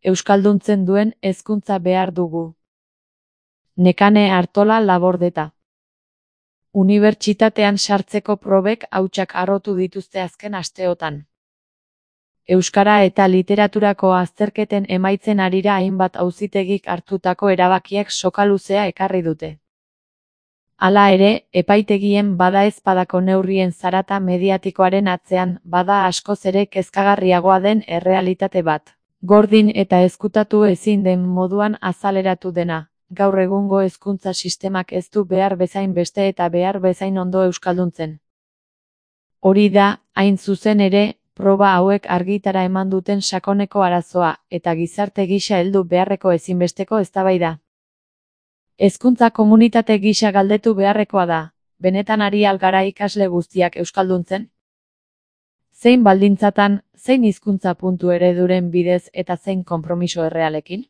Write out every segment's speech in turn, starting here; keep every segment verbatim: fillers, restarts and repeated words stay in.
euskalduntzen duen hezkuntza behar dugu. Nekane Artola Labordeta. Unibertsitatean sartzeko probek hautsak harrotu dituzte azken asteotan. Euskara eta literaturako azterketen emaitzen harira hainbat auzitegik hartutako erabakiek soka luzea ekarri dute. Hala ere, epaitegien badaezpadako neurrien zarata mediatikoaren atzean bada askoz ere kezkagarriagoa den errealitate bat. Gordin eta ezkutatu ezin den moduan azaleratu dena, gaur egungo hezkuntza sistemak ez du behar bezain beste eta behar bezain ondo euskalduntzen. Hori da, hain zuzen ere, proba hauek argitara eman duten sakoneko arazoa, eta gizarte gisa heldu beharreko ezinbesteko eztabaida. Hezkuntza komunitate gisa galdetu beharrekoa da, benetan ari al gara ikasle guztiak euskalduntzen? Zein baldintzatan, zein hizkuntza puntu ereduren bidez eta zein konpromiso errealekin?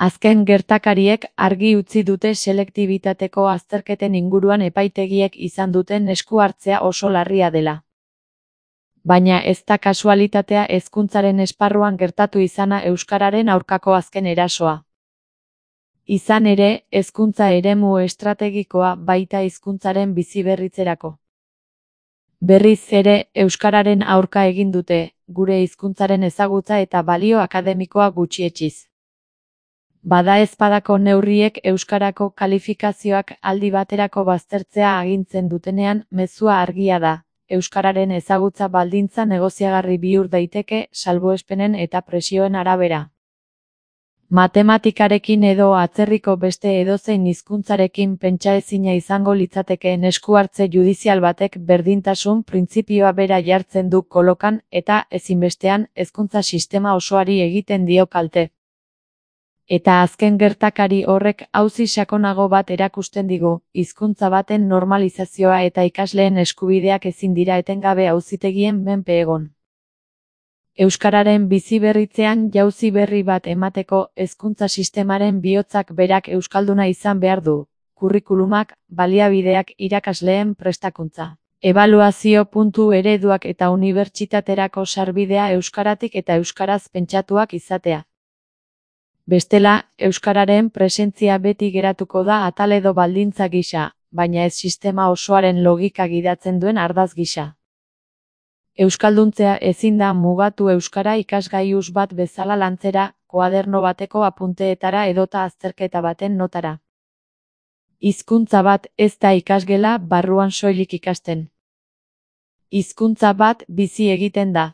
Azken gertakariek argi utzi dute selektibitateko azterketen inguruan epaitegiek izan duten esku hartzea oso larria dela. Baina ez da kasualitatea hezkuntzaren esparruan gertatu izana euskararen aurkako azken erasoa. Izan ere, hezkuntza eremu estrategikoa baita hizkuntzaren biziberritzerako. Berriz ere, euskararen aurka egin dute, gure hizkuntzaren ezagutza eta balio akademikoa gutxietsiz. Badaezpadako neurriek euskarako kalifikazioak aldi baterako baztertzea agintzen dutenean mezua argia da. Euskararen ezagutza baldintza negoziagarri bihur daiteke salbuespenen eta presioen arabera. Matematikarekin edo atzerriko beste edozein hizkuntzarekin pentsaezina izango litzatekeen esku hartze judizial batek berdintasun printzipioa bera jartzen du kolokan eta ezinbestean hezkuntza sistema osoari egiten dio kalte. Eta azken gertakari horrek auzi sakonago bat erakusten digu, hizkuntza baten normalizazioa eta ikasleen eskubideak ezin dira etengabe auzitegien menpe egon. Euskararen biziberritzean jauzi berri bat emateko hezkuntza sistemaren bihotzak berak euskalduna izan behar du, kurrikulumak, baliabideak irakasleen prestakuntza. Ebaluazio puntu ereduak eta unibertsitaterako sarbidea euskaratik eta euskaraz pentsatuak izatea. Bestela, euskararen presentzia beti geratuko da atal edo baldintza gisa, baina ez sistema osoaren logika gidatzen duen ardatz gisa. Euskalduntzea ezin da mugatu euskara ikasgaius bat bezala lantzera, koaderno bateko apunteetara edota azterketa baten notara. Hizkuntza bat ez da ikasgela barruan soilik ikasten. Hizkuntza bat bizi egiten da.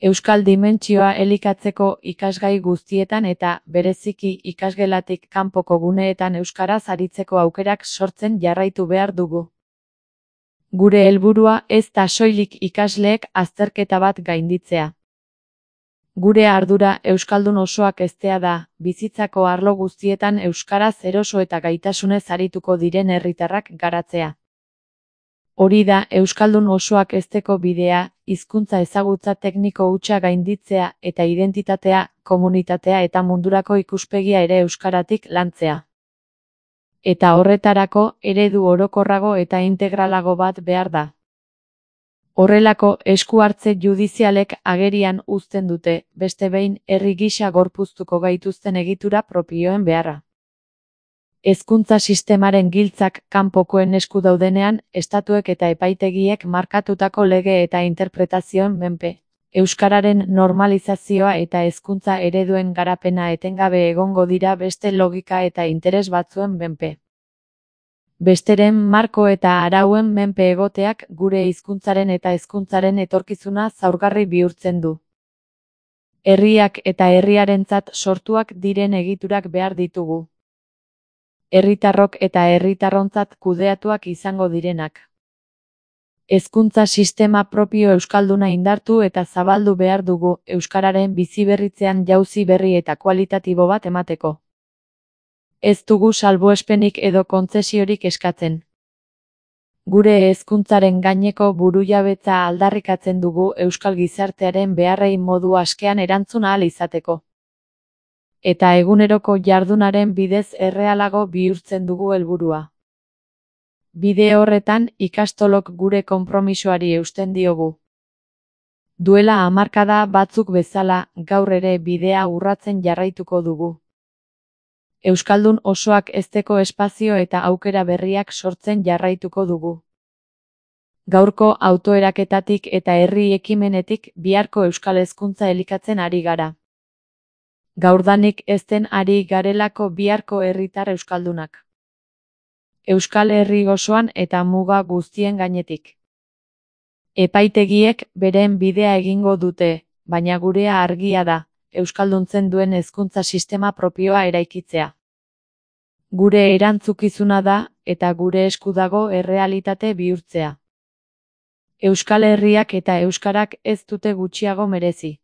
Euskal dimentsioa elikatzeko ikasgai guztietan eta, bereziki ikasgelatik kanpoko guneetan euskaraz aritzeko aukerak sortzen jarraitu behar dugu. Gure helburua ez da soilik ikasleek azterketa bat gainditzea. Gure ardura euskaldun osoak heztea da, bizitzako arlo guztietan euskaraz eroso eta gaitasunez arituko diren herritarrak garatzea. Hori da euskaldun osoak hezteko bidea, hizkuntza ezagutza tekniko hutsa gainditzea eta identitatea, komunitatea eta mundurako ikuspegia ere euskaratik lantzea. Eta horretarako eredu orokorrago eta integralago bat behar da. Horrelako esku hartze judizialek agerian uzten dute, beste behin herri gisa gorpuztuko gaituzten egitura propioen beharra. Hezkuntza sistemaren giltzak kanpokoen esku daudenean, estatuek eta epaitegiek markatutako lege eta interpretazioen menpe. Euskararen normalizazioa eta hezkuntza ereduen garapena etengabe egongo dira beste logika eta interes batzuen menpe. Besteren marko eta arauen menpe egoteak gure hizkuntzaren eta hezkuntzaren etorkizuna zaurgarri bihurtzen du. Herriak eta herriarentzat sortuak diren egiturak behar ditugu. Herritarrok eta herritarrontzat kudeatuak izango direnak. Hezkuntza sistema propio euskalduna indartu eta zabaldu behar dugu euskararen biziberritzean jauzi berri eta kualitatibo bat emateko. Ez dugu salbuespenik edo kontzesiorik eskatzen. Gure hezkuntzaren gaineko burujabetza aldarrikatzen dugu euskal gizartearen beharrei modu askean erantzun ahal izateko. Eta eguneroko jardunaren bidez errealago bihurtzen dugu helburua. Bide horretan ikastolok gure konpromisoari eusten diogu. Duela hamarkada batzuk bezala, gaur ere bidea urratzen jarraituko dugu. Euskaldun osoak hezteko espazio eta aukera berriak sortzen jarraituko dugu. Gaurko autoeraketatik eta herri ekimenetik biharko euskal hezkuntza elikatzen ari gara. Gaurdanik ezten ari garelako biharko herritar euskaldunak. Euskal Herri osoan eta muga guztien gainetik. Epaitegiek beren bidea egingo dute, baina gurea argia da, euskalduntzen duen hezkuntza sistema propioa eraikitzea. Gure erantzukizuna da, eta gure esku dago errealitate bihurtzea. Euskal Herriak eta euskarak ez dute gutxiago merezi.